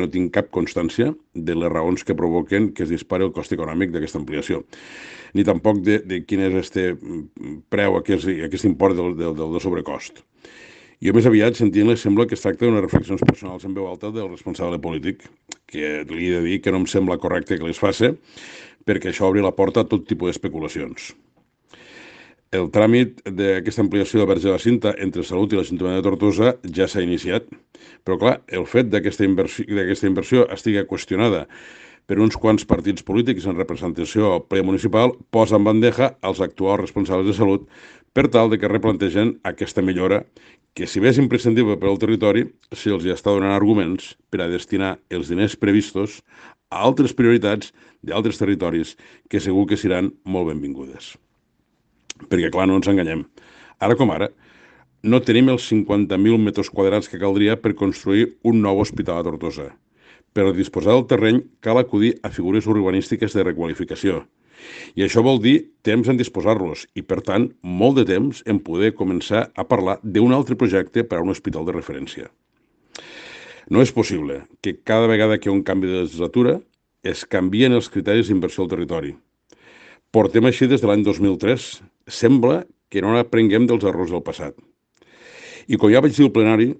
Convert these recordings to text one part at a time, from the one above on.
no tinc cap constància de les raons que provoquen que es dispari el cost econòmic d'aquesta ampliació, ni tampoc de quin és aquest preu, aquest import del sobrecost. Jo més aviat, sentint-les, sembla que es tracta d'unes reflexions personals en veu alta del responsable polític, que li he de dir que no em sembla correcte que les faci, perquè això obri la porta a tot tipus d'especulacions. El tràmit d'aquesta ampliació del Verge de la Cinta entre Salut i l'Ajuntament de Tortosa ja s'ha iniciat, però clar, el fet d'aquesta inversió estigui qüestionada per uns quants partits polítics en representació al ple municipal posa en bandeja els actuals responsables de Salut per tal de que replantegen aquesta millora que, si bé és imprescindible per al territori, se'ls està donant arguments per a destinar els diners previstos a altres prioritats d'altres territoris que segur que seran molt benvingudes. Perquè, clar, no ens enganyem. Ara com ara, no tenim els 50.000 metres quadrats que caldria per construir un nou hospital a Tortosa. Per disposar del terreny cal acudir a figures urbanístiques de requalificació. I això vol dir temps en disposar-los i, per tant, molt de temps en poder començar a parlar d'un altre projecte per a un hospital de referència. No és possible que cada vegada que hi ha un canvi de legislatura es canvien els criteris d'inversió al territori. Portem així des de l'any 2003. Sembla que no n'aprenguem dels errors del passat. I com ja vaig dir al plenari,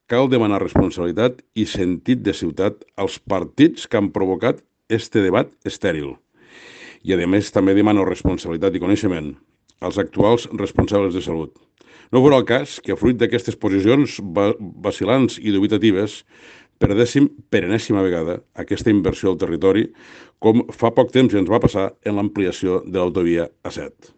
cal demanar responsabilitat i sentit de ciutat als partits que han provocat este debat estèril. I, a més, també demano responsabilitat i coneixement als actuals responsables de Salut. No fos el cas que, fruit d'aquestes posicions vacil·lants i dubitatives, perdéssim per enèsima vegada aquesta inversió al territori, com fa poc temps ens va passar en l'ampliació de l'autovia A7.